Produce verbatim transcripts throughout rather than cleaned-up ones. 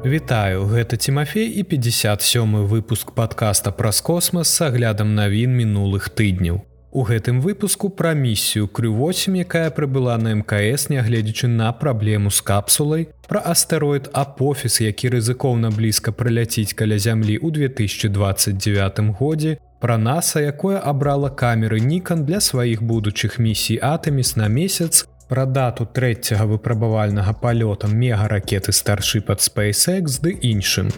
Вітаю, гэта Тимофей і пятьдесят сёмы выпуск падкаста праз космас с аглядам навін мінулых тыдняў. У гэтым выпуску пра місію Крю восемь, якая прыбыла на эм ка эс, нягледзячы на праблему з капсулай, пра астэроід Апофіс, які рызыкоўна блізка прыляціць каля зямлі ў две тысячи двадцать девятым годзе, пра NASA, якое абрала камеры Nikon для сваіх будучых місій Артеміс на месяц, пра дату трэцяга выпрабавальнага палёта мегаракеты Starship ад SpaceX ды іншым.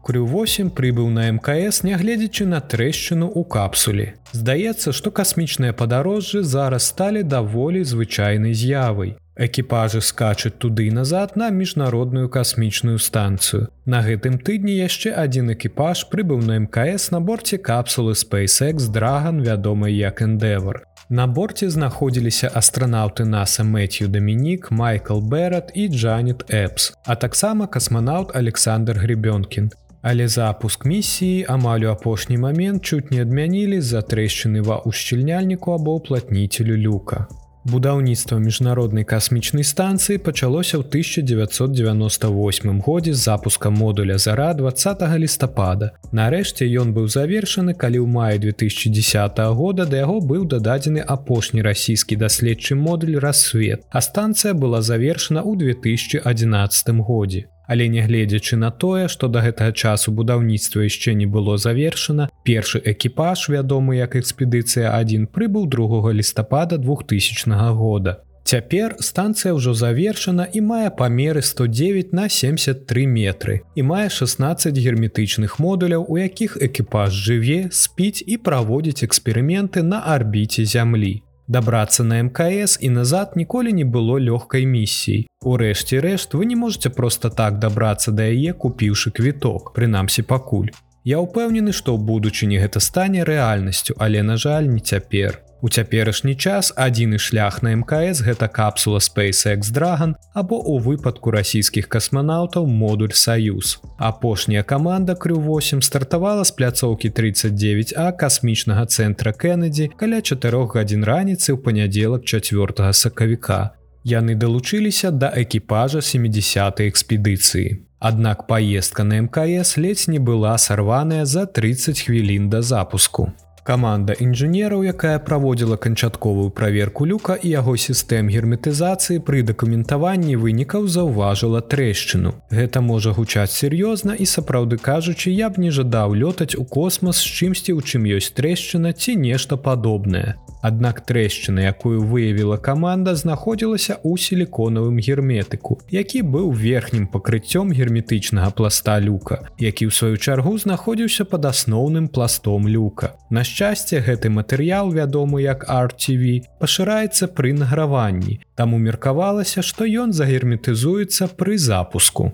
Крю восемь прыбыў на эм ка эс, нягледзячы на трэшчыну ў капсуле. Здаецца, што касмічныя падарожжы зараз сталі даволі звычайнай з'явай. Экіпажы скачуць туды і назад на міжнародную касмічную станцыю. На гэтым тыдні яшчэ адзін экіпаж прыбыў на эм ка эс на борце капсулы SpaceX Dragon, вядомай як Endeavour. На борце знаходзіліся астранаўты NASA Мэтью Дамінік, Майкл Берат і Джанет Эпс, а таксама касманаўт Александр Гребёнкін. Але запуск місіі амаль у апошні момент чуць не адмянілі з-за трэшчыны ва ўшчыльняльніку або ўплатніцелю люка. Будаўніцтва міжнароднай касмічнай станцыі пачалося ў тысяча дзевяцьсот дзевяноста восьмым годзе з запуска модуля «Зара» двадцатага лістапада. Нарэшце ён быў завершаны, калі ў маі две тысячи десятого года да яго быў дададзены апошні расійскі даследчы модуль «Рассвет», а станцыя была завершана ў две тысячи одиннадцатым годзе. Але нягледзячы на тое, што да гэтага часу будаўніцтва яшчэ не было завершана, першы экіпаж, вядомы як экспедыцыя адзін, прыбыў другога лістапада двухтысячнага года. Цяпер станцыя ўжо завершана і мае памеры сто девять на семьдесят три метры і мае шестнадцать герметычных модуляў, у якіх экіпаж жыве, спіць і праводзіць эксперыменты на арбіце Зямлі. Дабрацца на эм ка эс і назад ніколі не было лёгкай місіяй. Урэшце рэшт, вы не можете проста так дабрацца да яе, купіўшы квіток, прынамсі пакуль. Я ўпэўнены, што ў будучыні гэта стане рэальнасцю, але, на жаль, не цяпер. У цяперашні час адзіны шлях на эм ка эс гэта капсула SpaceX Dragon або ў выпадку расійскіх касманаўтаў модуль «Саюз». Апошняя каманда Крю восемь стартавала з пляцоўкі тридцать девять А касмічнага цэнтра Кеннеді каля чатырох гадзін раніцы ў панядзелак чацвёртага сакавіка. Яны далучыліся да экіпажа сямідзясятай экспедыцыі. Аднак паездка на эм ка эс ледзь не была сарваная за тридцать хвілін да запуску. Каманда інжынераў, якая праводзіла канчатковую праверку люка і яго сістэм герметызацыі, пры дакументаванні вынікаў заўважыла трэшчыну. Гэта можа гучаць сур'ёзна і, сапраўды кажучы, я б не жадаў лётаць у космас з чымсьці, у чым ёсць трэшчына ці нешта падобнае. Аднак трэшчына, якую выявіла каманда, знаходзілася ў сіліконавым герметыку, які быў верхнім пакрыццём герметычнага пласта люка, які ў сваю чаргу знаходзіўся пад асноўным пластом люка. На шчасце, гэты матэрыял, вядомы як ар ти ви, пашыраецца пры награванні, таму меркавалася, што ён загерметызуецца пры запуску.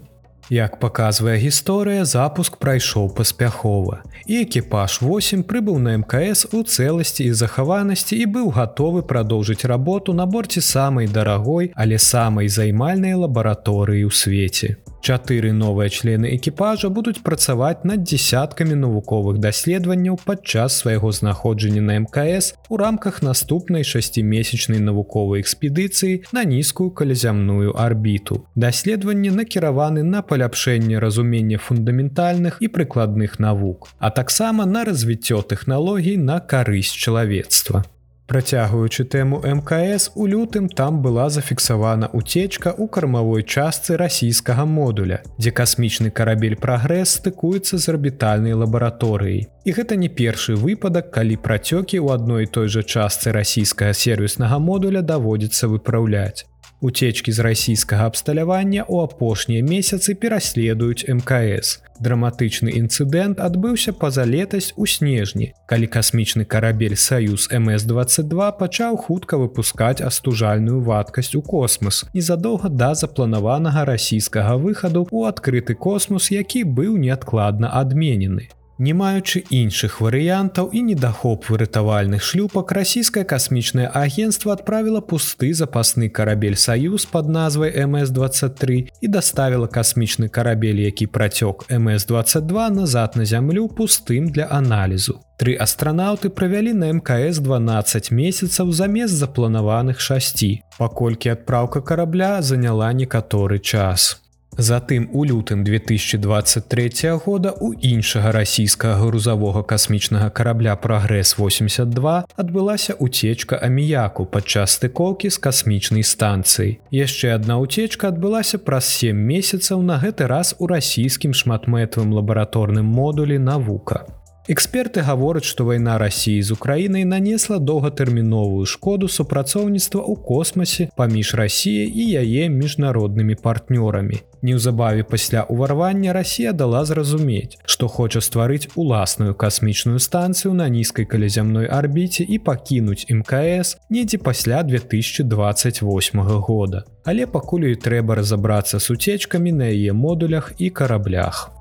Як паказвае гісторыя, запуск прайшоў паспяхова, і экіпаж восемь прыбыў на эм ка эс у цэласці і захаванасці і быў гатовы прадоўжыць работу на борце самай дарагой, але самай займальнай лабараторыі ў свеце. Чатыры новыя члены экіпажа будуць працаваць над дзесяткамі навуковых даследаванняў падчас свайго знаходжання на эм ка эс у рамках наступнай шасцімесячнай навуковай экспедыцыі на нізкую калязямную арбіту. Даследаванні накіраваны на паляпшэнне разумення фундаментальных і прыкладных навук, а таксама на развіццё тэхналогій на карысць чалавецтва. Працягваючы тэму эм ка эс, у лютым там была зафіксавана уцечка ў кармавой частцы расійскага модуля, дзе касмічны карабель «Прагрэс» стыкуецца з арбітальнай лабараторыяй. І гэта не першы выпадак, калі працёкі ў адной і той жа частцы расійскага сервіснага модуля даводзіцца выпраўляць. Уцечкі з расійскага абсталявання ў апошнія месяцы пераследуюць эм ка эс. Драматычны інцыдэнт адбыўся пазалетась у снежні, калі касмічны карабель «Саюз эм эс двадцать два» пачаў хутка выпускаць астужальную вадкасць у космас незадоўга да запланаванага расійскага выхаду ў адкрыты космос, які быў неадкладна адменены. Не маючы іншых варыянтаў і недахоп выратавальных шлюпак, расійскае касмічнае агенцтва адправіла пусты запасны карабель «Саюз» пад назвай эм эс двадцать тры і даставіла касмічны карабель, які працёк эм эс двадцать два назад на зямлю пустым для аналізу. Тры астранаўты правялі на эм ка эс дванаццаць месяцаў замест запланаваных шасці, паколькі адпраўка карабля заняла некаторы час. Затым у лютым две тысячи двадцать третьего года у іншага расійскага грузавога касмічнага карабля «Прагрэс восемьдесят два» адбылася уцечка аміяку падчас стыкоўкі з касмічнай станцыяй. Яшчэ адна уцечка адбылася праз сем месяцаў, на гэты раз у расійскім шматмэтавым лабараторным модулі «Навука». Эксперты гавораць, што вайна Расіі з Украінай нанесла доўгатэрміновую шкоду супрацоўніцтва ў космасе паміж Расіяй і яе міжнароднымі партнёрамі. Неўзабаве пасля ўварвання Расія дала зразумець, што хоча стварыць уласную касмічную станцыю на нізкай калязямной арбіце і пакінуць эм ка эс недзе пасля две тысячи двадцать восьмого года. Але пакуль ёй трэба разабрацца з уцечкамі на яе модулях і караблях.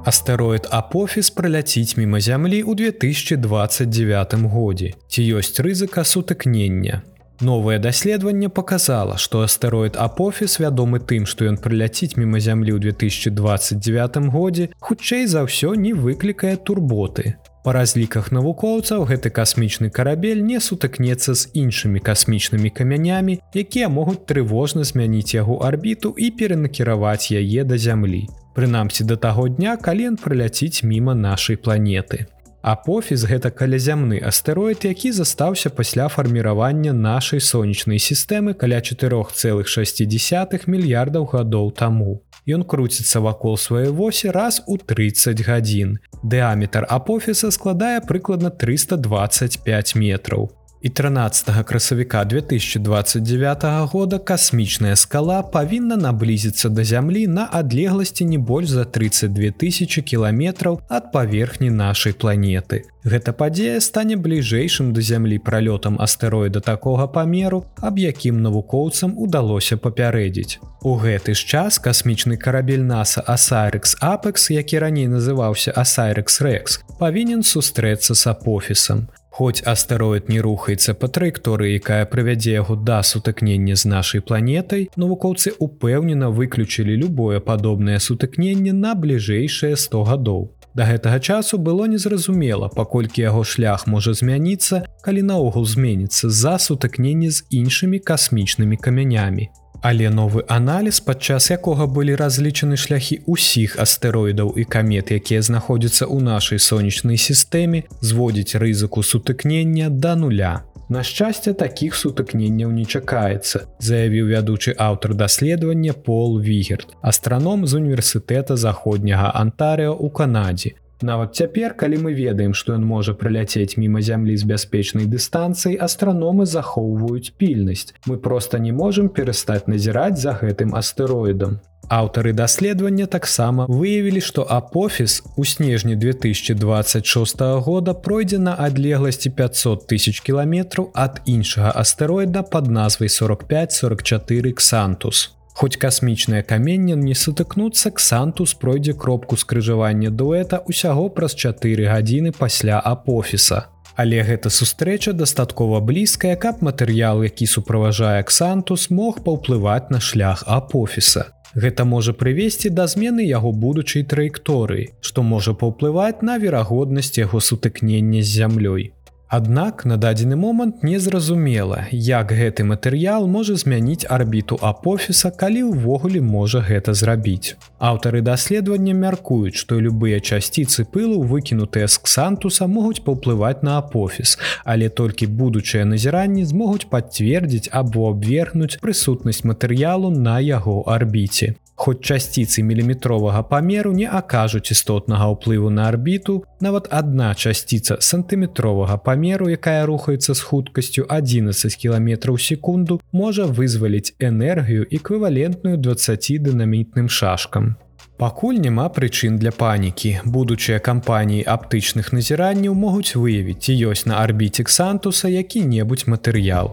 Астэроід Апофіс праляціць міма Зямлі ў две тысячи двадцать девятым годзе. Ці ёсць рызыка сутыкнення? Новае даследаванне паказала, што астэроід Апофіс, вядомы тым, што ён праляціць міма Зямлі ў две тысячи двадцать девятым годзе, хутчэй за ўсё не выклікае турботы. Па разліках навукоўцаў, гэты касмічны карабель не сутыкнецца з іншымі касмічнымі камянямі, якія могуць трывожна змяніць яго арбіту і перанакіраваць яе да Зямлі. Прынамсі да таго дня, калі ён праляціць міма нашай планеты. Апофіс – гэта калязямны астэроід, які застаўся пасля фарміравання нашай сонечнай сістэмы каля чатырох цэлых шасці дзесятых мільярдаў гадоў таму. Ён круціцца вакол сваёй восі раз у трыццаць гадзін. Дыаметр Апофіса складае прыкладна трыста дваццаць пяць метраў. І трынаццатага красавіка две тысячи двадцать девятого года касмічная скала павінна наблізіцца да Зямлі на адлегласці не больш за тридцать две тысячи кіламетраў ад паверхні нашай планеты. Гэта падзея стане бліжэйшым да Зямлі пралётам астэроіда такога памеру, аб якім навукоўцам удалося папярэдзіць. У гэты ж час касмічны карабель NASA Osiris-Apex, які раней называўся Osiris-Rex, павінен сустрэцца з Апофісам. Хоць астэроід не рухаецца па траекторыі, якая прывядзе яго да сутыкнення з нашай планетай, навукоўцы ўпэўнена выключылі любое падобнае сутыкненне на бліжэйшыя сто гадоў. Да гэтага часу было незразумела, паколькі яго шлях можа змяніцца, калі наогул зменіцца з-за сутыкнення з іншымі касмічнымі камянямі. Але новы аналіз, падчас якога былі разлічаны шляхі ўсіх астэроідаў і камет, якія знаходзяцца ў нашай сонечнай сістэме, зводзіць рызыку сутыкнення да нуля. На шчасце, такіх сутыкненняў не чакаецца, заявіў вядучы аўтар даследавання Пол Вігерт, астраном з універсітэта заходняга Антарыо ў Канадзе. Нават цяпер, калі мы ведаем, што ён можа праляцець міма Зямлі з бяспечнай дыстанцыі, астраномы захоўваюць пільнасць. Мы проста не можам перастаць назіраць за гэтым астэроідам. Аўтары даследавання таксама выявілі, што Апофіс у снежні две тысячи двадцать шостого года пройдзе на адлегласці пятьсот тысяч кіламетраў ад іншага астэроіда пад назвай сорок пять сорок четыре Ксантус. Хоць касмічныя каменне не сутыкнуцца, Ксантус пройдзе кропку скрыжавання дуэта ўсяго праз чатыры гадзіны пасля Апофіса. Але гэта сустрэча дастаткова блізкая, каб матэрыял, які суправажае Ксантус, мог паўплываць на шлях Апофіса. Гэта можа прывесці да змены яго будучай траекторыі, што можа паўплываць на верагоднасць яго сутыкнення з зямлёй. Аднак на дадзены момант незразумела, як гэты матэрыял можа змяніць арбіту Апофіса, калі ўвогуле можа гэта зрабіць. Аўтары даследавання мяркуюць, што любыя часціцы пылу, выкінутыя з Ксантуса, могуць паўплываць на Апофіс, але толькі будучыя назіранні змогуць пацвердзіць або абвергнуць прысутнасць матэрыялу на яго арбіце. Хоць часціцы міліметровага памеру не акажуць істотнага ўплыву на арбіту, нават адна часціца сантыметровага памеру, якая рухаецца з хуткасцю адзінаццаць кіламетраў у секунду, можа вызваліць энергію эквівалентную дваццаці дынамітным шашкам. Пакуль няма прычын для панікі. Будучыя кампаніі аптычных назіранняў могуць выявіць, ці ёсць на арбіце Ксантуса які-небудзь матэрыял.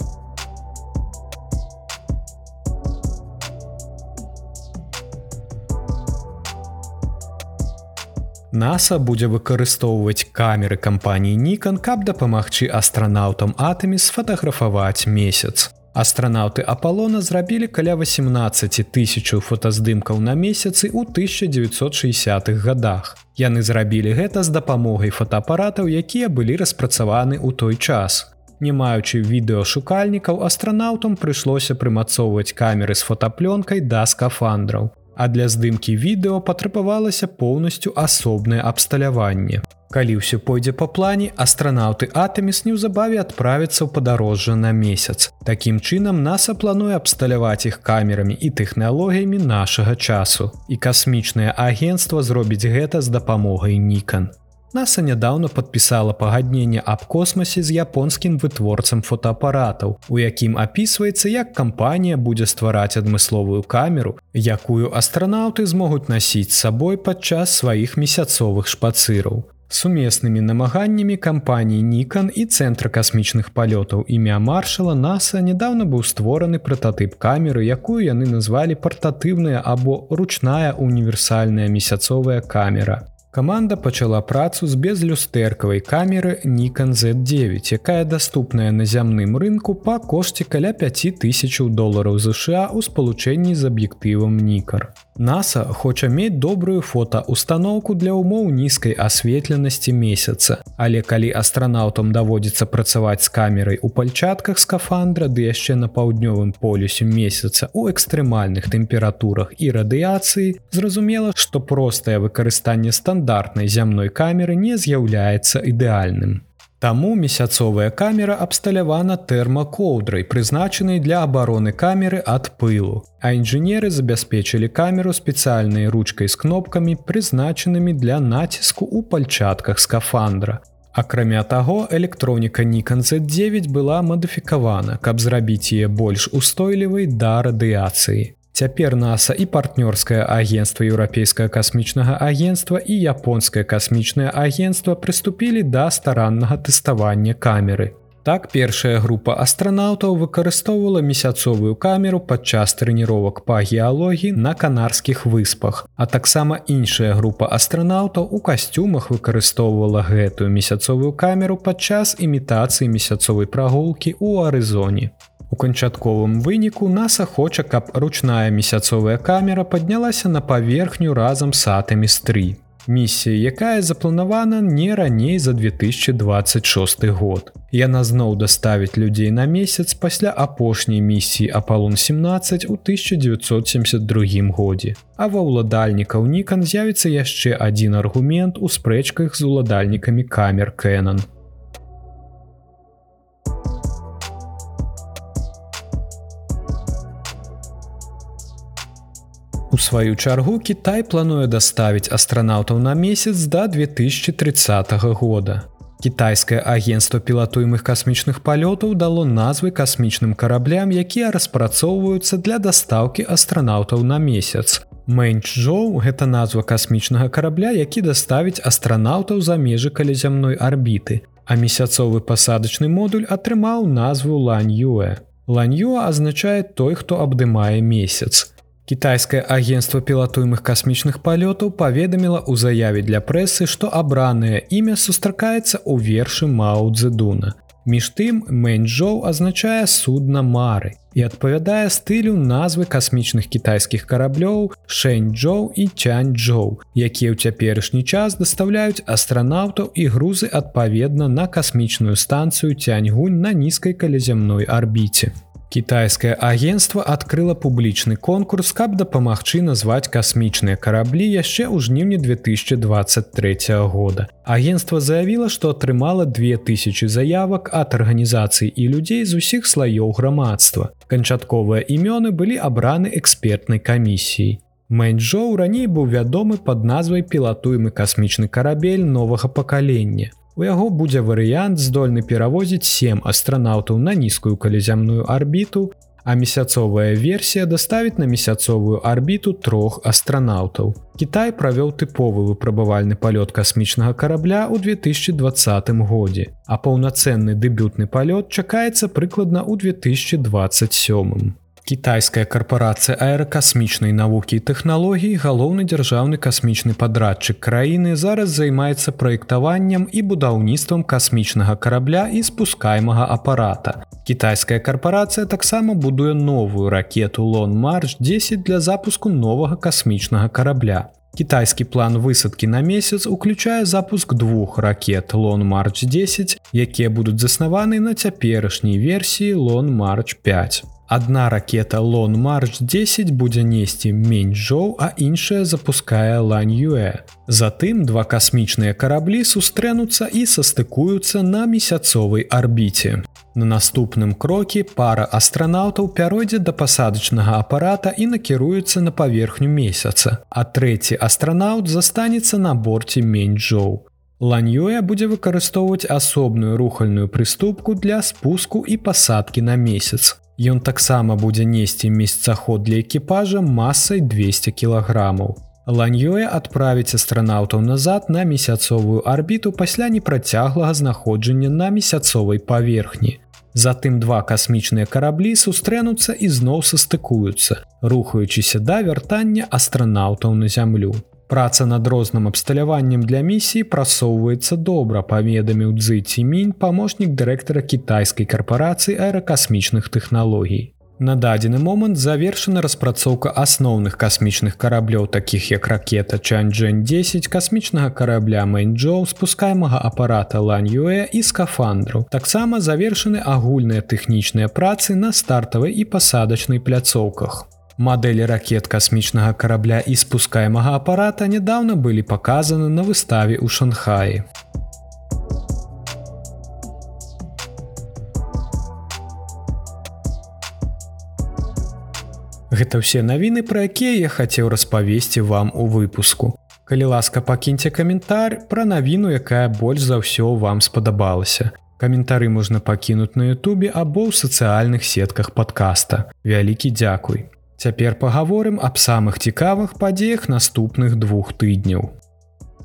NASA будзе выкарыстоўваць камеры кампаніі Nikon, каб дапамагчы астранаўтам Артеміс сфатаграфаваць месяц. Астранаўты Апалона зрабілі каля восемнадцаць тысяч фотаздымкаў на месяцы ў тысяча дзевяцьсот шэсцідзятых гадах. Яны зрабілі гэта з дапамогай фотоапаратаў, якія былі распрацаваны ў той час. Не маючы відэашукальнікаў, астранаўтам прыйшлося прымацоўваць камеры з фотаплёнкай да скафандраў. А для здымкі відэо патрабавалася поўнасцю асобнае абсталяванне. Калі ўсё пойдзе па плане, астранаўты Артеміс неўзабаве адправяцца ў падарожжа на месяц. Такім чынам, NASA плануе абсталяваць іх камерамі і тэхналогіямі нашага часу. І касмічнае агенцтва зробіць гэта з дапамогай Nikon. NASA нядаўна падпісала пагадненне аб космасе з японскім вытворцам фотоапаратаў, у якім апісваецца, як кампанія будзе ствараць адмысловую камеру, якую астранаўты змогуць насіць з сабой падчас сваіх месяцовых шпацыраў. Сумеснымі намаганнямі кампаніі Nikon і Цэнтра касмічных палётаў імя Маршала NASA нядаўна быў створаны прататып камеры, якую яны назвалі партатыўная або ручная універсальная месяцовая камера. Каманда пачала працу з безлюстэркавай камеры Nikon зет дзевяць, якая даступная на зямным рынку па кошце каля пяць тысяч долараў США ў спалучэнні з аб'ектывам Nikkor. NASA хоча мець добрую фотаустаноўку для ўмоў нізкай асветленасці месяца, але калі астранаўтам даводзіцца працаваць з камерай у пальчатках скафандра, ды яшчэ на паўднёвым полюсе месяца ў экстрэмальных тэмпературах і радыяцыі, зразумела, што простае выкарыстанне стандартнай зямной камеры не з'яўляецца ідэальным. Таму месяцовая камера абсталявана тэрмакоўдрай, прызначанай для абароны камеры ад пылу, а інжынеры забяспечылі камеру спецыяльнай ручкай з кнопкамі, прызначанымі для націску ў пальчатках скафандра. Акрамя таго, электроніка Nikon зет дзевяць была мадыфікавана, каб зрабіць яе больш устойлівай да радыяцыі. Цяпер NASA і партнёрскае агенцтва Еўрапейскага касмічнага агенцтва і Японскае касмічнае агенцтва прыступілі да стараннага тэставання камеры. Так, першая група астранаўтаў выкарыстоўвала месяцовую камеру падчас трэніровак па геалогіі на Канарскіх выспах, а таксама іншая група астранаўтаў у касцюмах выкарыстоўвала гэтую месяцовую камеру падчас імітацыі месяцовай прагулкі ў Арызоне. У канчатковым выніку NASA хоча, каб ручная месяцовая камера паднялася на паверхню разам з Артеміс тры. Місія, якая запланавана не раней за две тысячи двадцать шосты год. Яна зноў даставіць людзей на месяц пасля апошняй місіі Апалон сямнаццаць у тысяча дзевяцьсот семьдесят другім годзе. А ва ўладальнікаў Nikon з'явіцца яшчэ адзін аргумент у спрэчках з уладальнікамі камер Canon. У сваю чаргу Кітай плануе даставіць астранаўтаў на месяц да две тысячи тридцатага года. Кітайскае агенцтва пілатуемых касмічных палётаў дало назвы касмічным караблям, якія распрацоўваюцца для дастаўкі астранаўтаў на месяц. Мэнчжоу – гэта назва касмічнага карабля, які даставіць астранаўтаў за межы калязямной арбіты, а месяцовы пасадачны модуль атрымаў назву Ланьюэ. Ланьюэ азначае той, хто абдымае месяц. Кітайскае агенцтва пілатуемых касмічных палётаў паведаміла ў заяве для прэсы, што абранае імя сустракаецца ў вершы Мао Цзэдуна. Між тым, Мэнчжоу азначае судна мары і адпавядае стылю назвы касмічных кітайскіх караблёў Шэньчжоу і Цяньчжоу, якія ў цяперашні час дастаўляюць астранаўтаў і грузы адпаведна на касмічную станцыю Цяньгунь на нізкай калязямной арбіце. Кітайскае агенцтва адкрыла публічны конкурс, каб дапамагчы назваць касмічныя караблі яшчэ ў жніўні две тысячи двадцать трэцяга года. Агенцтва заявіла, што атрымала две тысячи заявак ад арганізацый і людзей з усіх слаёў грамадства. Канчатковыя імёны былі абраны экспертнай камісіяй. Мэнчжоу раней быў вядомы пад назвай пілатуемы касмічны карабель новага пакалення. У яго будзе варыянт, здольны перавозіць сем астранаўтаў на нізкую калязямную арбіту, а месяцовая версія даставіць на месяцовую арбіту трох астранаўтаў. Кітай правёў тыповы выпрабавальны палёт касмічнага карабля ў две тысячи двадцатым годзе, а паўнацэнны дэбютны палёт чакаецца прыкладна ў две тысячи двадцать сёмым. Кітайская карпорацыя аэракасмічнай навукі і тэхналогій, галоўны дзяржаўны касмічны падрадчык краіны, зараз займаецца праектаваннем і будаўніцтвам касмічнага карабля і спускаймага апарата. Кітайская карпорацыя таксама будуе новую ракету Long March дзесяць для запуску новага касмічнага карабля. Кітайскі план высадкі на месяц уключае запуск двух ракет Long March дзесяць, якія будуць заснаваны на цяперашняй версіі Long March пяць. Адна ракета Long March дзесяць будзе несці Мэньчжоу, а іншая запускае Ланьюэ. Затым два касмічныя караблі сустрэнуцца і састыкуюцца на месяцовай арбіце. На наступным крокі пара астранаўтаў пяройдзе да пасадачнага апарата і накіруецца на паверхню месяца, а трэці астранаўт застанецца на борце Мэньчжоу. Ланьюэ будзе выкарыстоўваць асобную рухальную прыступку для спуску і пасадкі на месяц. Ён таксама будзе несці месяцаход для экіпажа масай двесце кілаграмаў. Ланьюэ адправіць астранаўтаў назад на месяцовую арбіту пасля непрацяглага знаходжання на месяцовай паверхні. Затым два касмічныя караблі сустрэнуцца і зноў састыкуюцца, рухаючыся да вяртання астранаўтаў на зямлю. Праца над розным абсталяваннем для місіі прасоўваецца добра, паведаміў Цзы Цімінь, памочнік дырэктара кітайскай карпорацыі аэракасмічных тэхналогій. На дадзены момант завершана распрацоўка асноўных касмічных караблёў, такіх як ракета Чанчжэнь дзесяць, касмічнага карабля Мэньчжоу, спускаймага апарата Ланьюэ і скафандраў. Таксама завершаны агульныя тэхнічныя працы на стартавай і пасадачнай пляцоўках. Мадэлі ракет касмічнага карабля і спускаймага апарата нядаўна былі паказаны на выставе ў Шанхаі. Гэта ўсе навіны, пра якія я хацеў распавесці вам у выпуску. Калі ласка, пакіньце каментар пра навіну, якая больш за ўсё вам спадабалася. Каментары можна пакінуць на Ютубе або ў сацыяльных сетках падкаста. Вялікі дзякуй. Цяпер пагаворым аб самых цікавых падзеях наступных двух тыдняў.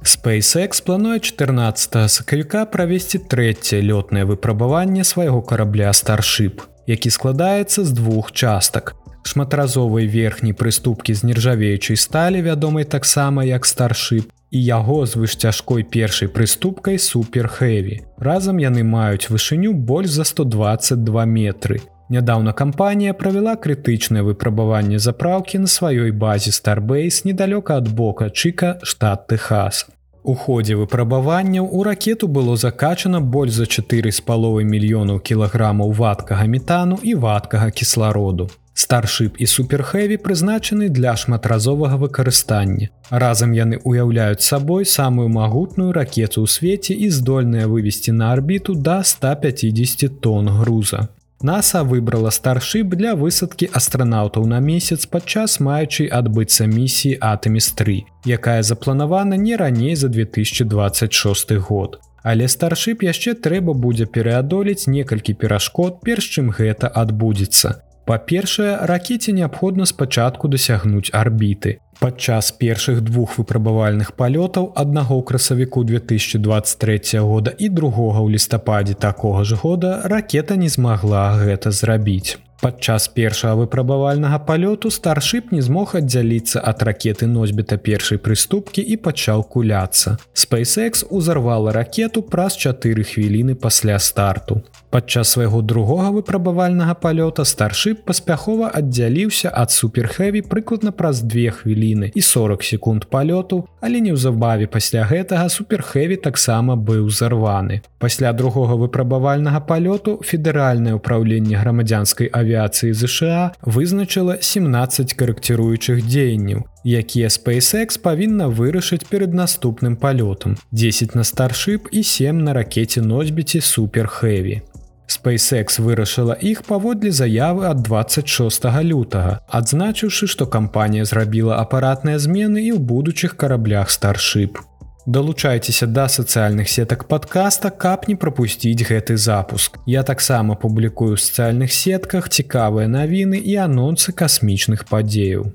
SpaceX плануе чатырнаццатага сакавіка правесці трэцяе лётнае выпрабаванне свайго карабля Starship, які складаецца з двух частак. Шматразовай верхняй прыступкі з нержавеючай сталі, вядомай таксама як Starship, і яго звышцяжкой першай прыступкай Super Heavy. Разам яны маюць вышыню больш за сто дваццаць два метры. Нядаўна кампанія правяла крытычнае выпрабаванне запраўкі на сваёй базе Starbase недалёка ад Бока Чыка, штат Тэхас. У ходзе выпрабаванняў у ракету было закачана больш за чатыры з паловай мільёнаў кілаграмаў вадкага метану і вадкага кіслароду. Starship і Super Heavy прызначаны для шматразовага выкарыстання. Разам яны ўяўляюць сабой самую магутную ракету ў свеце і здольныя вывесці на арбіту да ста пяцідзесяці тонн груза. НАСА выбрала Starship для высадкі астранаўтаў на месяц падчас маючай адбыцца місіі Артеміс тры, якая запланавана не раней за две тысячи двадцать шосты год. Але Starship яшчэ трэба будзе пераадолець некалькі перашкод, перш чым гэта адбудзецца. Па-першае, ракеце неабходна спачатку дасягнуць арбіты. Падчас першых двух выпрабавальных палётаў, аднаго ў красавіку две тысячи двадцать трэцяга года і другога ў лістападзе такога ж года, ракета не змагла гэта зрабіць. Падчас першага выпрабавальнага палёту Starship не змог аддзяліцца ад ракеты носьбіта першай прыступкі і пачаў куляцца. SpaceX узарвала ракету праз чатыры хвіліны пасля старту. Падчас свайго другога выпрабавальнага палёта Starship паспяхова аддзяліўся ад Super Heavy прыкладна праз две хвіліны і сорок секунд палёту, але неўзабаве пасля гэтага Super Heavy таксама быў зарваны. Пасля другога выпрабавальнага палёту Федэральнае ўпраўленне грамадзянскай авіяцыі ЗША вызначыла сямнаццаць карэкціруючых дзеянняў, якія SpaceX павінна вырашыць перад наступным палётам. дзесяць на Starship і сем на ракеце-носьбіце Super Heavy. SpaceX вырашыла іх паводле заявы ад дваццаць шостага лютага, адзначыўшы, што кампанія зрабіла апаратныя змены і ў будучых караблях Starship. Далучайцеся да сацыяльных сетак падкаста, каб не прапусціць гэты запуск. Я таксама публікую ў сацыяльных сетках цікавыя навіны і анонсы касмічных падзеяў.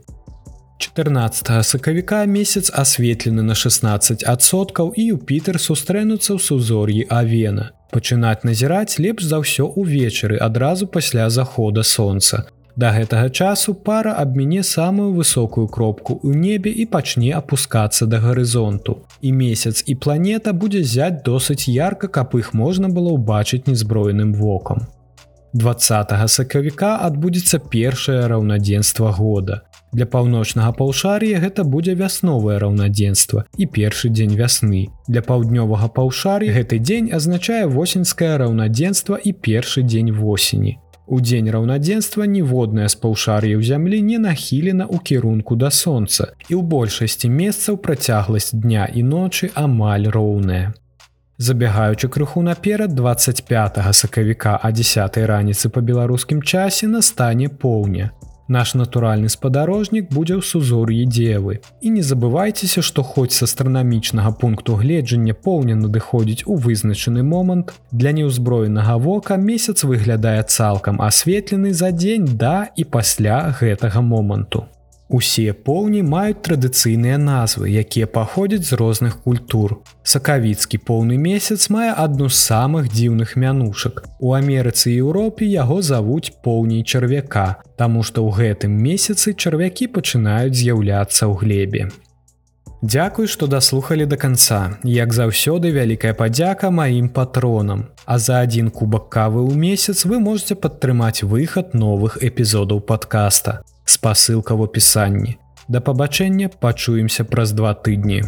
чатырнаццатага сакавіка месяц асветлены на шэснаццаць адсоткаў і Юпітер сустрэнуцца ў сузор'і Авена. Пачынаць назіраць лепш за ўсё ўвечары адразу пасля захода сонца. Да гэтага часу пара абміне самую высокую кропку ў небе і пачне апускацца да гарызонту. І месяц і планета будзе зяць досыць ярка, каб іх можна было ўбачыць незброеным вокам. дваццатага сакавіка адбудзецца першае раўнадзенства года. Для паўночнага паўшар'я гэта будзе вясновае раўнадзенства і першы дзень вясны. Для паўднёвага паўшар'я гэты дзень азначае восеньскае раўнадзенства і першы дзень восені. У дзень раўнадзенства ніводнае з паўшар'яў зямлі не нахілена ў кірунку да сонца, і ў большасці месцаў працягласць дня і ночы амаль роўная. Забягаючы крыху наперад, дваццаць пятага сакавіка а дзесятай раніцы па беларускім часе настане поўня. Наш натуральны спадарожнік будзе ў сузор'і Дзевы. І не забывайцеся, што хоць з астранамічнага пункту гледжання поўня надыходзіць у вызначаны момант, для неўзброенага вока месяц выглядае цалкам асветлены за дзень да і пасля гэтага моманту. Усе поўні маюць традыцыйныя назвы, якія паходзяць з розных культур. Сакавіцкі поўны месяц мае адну з самых дзіўных мянушак. У Амерыцы і Еўропе яго завуць поўней чарвяка, таму што ў гэтым месяцы чарвякі пачынаюць з'яўляцца ў глебе. Дзякуй, што даслухалі да канца. Як заўсёды, вялікая падзяка маім патронам. А за адзін кубак кавы ў месяц вы можете падтрымаць выхад новых эпізодаў падкаста. Спасылка ў апісанні. Да пабачэння, пачуемся праз два тыдні.